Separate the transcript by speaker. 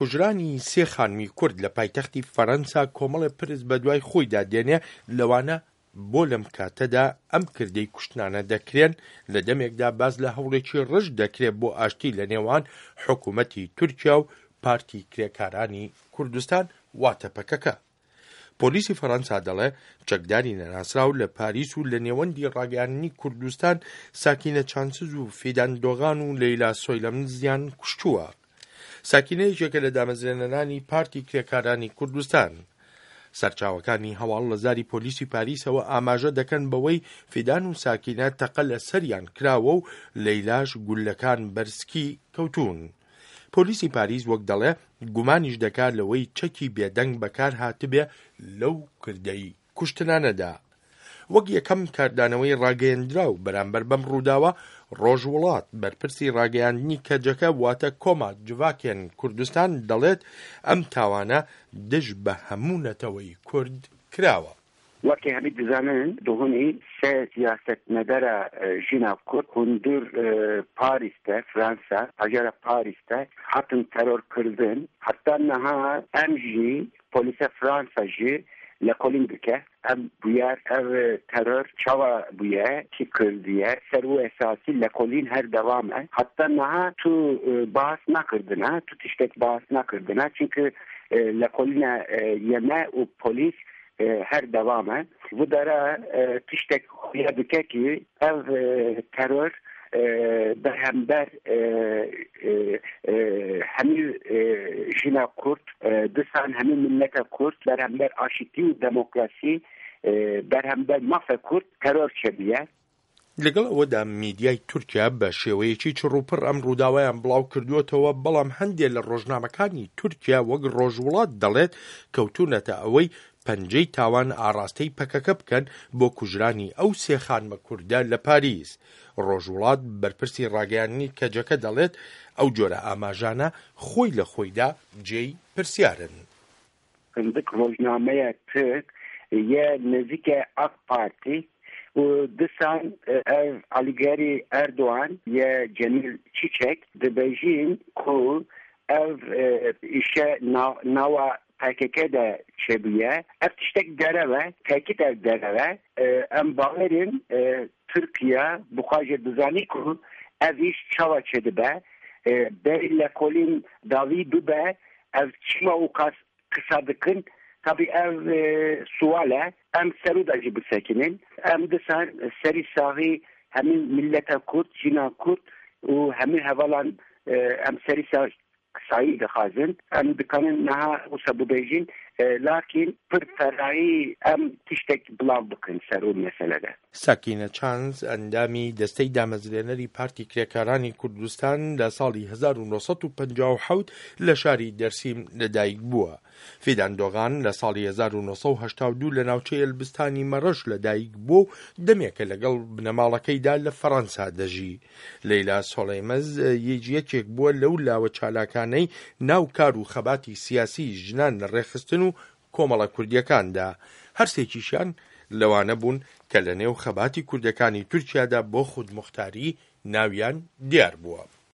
Speaker 1: کوژرانی سێ خانمی کورد لە پایتەختی فەرەنسا کۆمەڵێ پرس بەدوای خۆیدا دێنێ، لەوانە بۆ لەم کاتەدا ئەم کردەی کوشتنانە دەکرێن لە دەمێکدا باس لە هەوڵێکی ڕژد دەکرێ بۆ ئاشتی لە نێوان حکوومەتی تورکیا و پارتی کرێکارانی کوردستان واتە پەکەکە. پۆلیسی فەرەنسا دەڵێ چەکداری نەناسراو لە پاریس و لە نێوەندی ڕاگەیاندنی کوردستان ساکینە چانسز و فیدان دۆغان و لەیلا سۆیلەمزیان کوشتووە. ساکینە یەکێکە لە دامەزرێنەرانی پارتی کرێکارانی کوردستان. سەرچاوەکانی هەواڵ لە زاری پۆلیسی پاریسەوە ئاماژە دەکەن بەوەی فیدان و ساکینە تەقە لە سەریان کراوە و لەیلاش گوللەکان بەر سکی کەوتوون. پۆلیسی پاریس وەک دەڵێ گومانیش دەکا لەوەی چەکی بێدەنگ بەکار هاتبێ لەو کردەی کوشتنانەدا. وەک یەکەم کاردانەوەی ڕاگەیەندراو بەرامبەر بەم ڕووداوە، ڕۆژ وڵات، بەرپرسی ڕاگەیاندنی کەجەکە واتە کۆما جڤاکێن کوردستان دەڵێت ئەم تاوانە دژ بە هەموو نەتەوەی کورد کراوە.
Speaker 2: وەکی هەمی دزانن دوهونی سێ سیاسەتمەدەرە ژینا کورد هوندور پاریس دە، فرانسا، هەژارە پاریس دە هاتن تەرۆر کردن. هەتا نها ئەم ژی پۆلیسە فرانسا ژی لەکۆلین دکە ئەم بویەر ئەv تەرۆر چاوا بویە کی کردیە سەر و ئەساسی لەکۆلین هەر دەوامە هەتا نها تو باس نەکردنە تو تشتێک باس نەکردنە چونکە لەکۆلینە یەمە و پۆلیس هەر دەوامە و دەرە تشتێک خویا دکە کی ئەv تەرۆر بەرهەمبەر هەمی ژینا کورد دیسان هەمی میللەتە کورد بەرهەمبەر ئاشتی و دەمۆکراسی بەرهەمبەر مافە کورد تەرۆر چێبیە.
Speaker 1: لەگەڵ ئەوەدا میدیای تورکیا بە شێوەیەکی چڕوپڕ ئەم ڕووداوەیان بڵاو کردووەتەوە، بەڵام هەندێ لە ڕۆژنامەکانی تورکیا وەک ڕۆژوڵات دەڵێت کەوتوونەتە ئەوەی پەنجەی تاوان ئاڕاستەی پەکەکە بکەن بۆ کوژرانی ئەو سێ خانمە کوردە لە پاریس. ڕۆژوڵات بەرپرسی ڕاگەیاندنی کەجەکە دەڵێت ئەو جۆرە ئاماژانە خۆی لە خۆیدا جێی پرسیارن.
Speaker 2: هندک ڕۆژنامەیە ترک یە نزیکە ئاک پارتی و دیسان ئەv عەلیگەری ئەردۆغان یە جەمیل چیچەک دبێژین کو ئەv ئیشە ناوا پکک دە چێبویە ئەv تشتەک دەرەوە تەکید ئەv دەرەوە ئەم باوەرین تورکیا بخوا ژێ دزانی کو ئەv ئیش چاوا چێدبە بەری لەکۆلین داوی ببە ئەv چما و قاس قسە دکن تابی ئەv سوالە ئەم سەرودا ژی بسەکینین ئەم دیسان سەری ساغی هەمی میللەتە کورد ژینا کورد و هەمی هەڤالان ئەم سەری سایی دخوازن ئەم دکانن نها وسە ببێژین لاکین پر فەرایی ئەم تشتێک بڵاو بکەن سەر ئەو مەسەلەدە.
Speaker 1: ساکینە چانز، ئەندامی دەستەی دامەزرێنەری پارتی کرێکارانی کوردستان لە ساڵی 1957 لە شاری دەرسیم لەدایکبووە. فیدان دۆغان لە ساڵی 1982 لە ناوچەی ئەلبستانی مەڕەش لەدایکبووە و دەمێکە لەگەڵ بنەماڵەکەیدا لە فەڕەنسا دەژی. لەیلا سۆڵەیمەز یش یەکێک بووە لەو لاوە چالاکانەی ناو کار و خەباتی سیاسیی ژنان لە ڕێکخستن و کۆمەڵە کوردییەکاندا. هەرسێکیشیان لەوانە بوون کە لە نێو خەباتی کوردەکانی تورکیادا بۆ خودموختاری ناویان دیار بووە.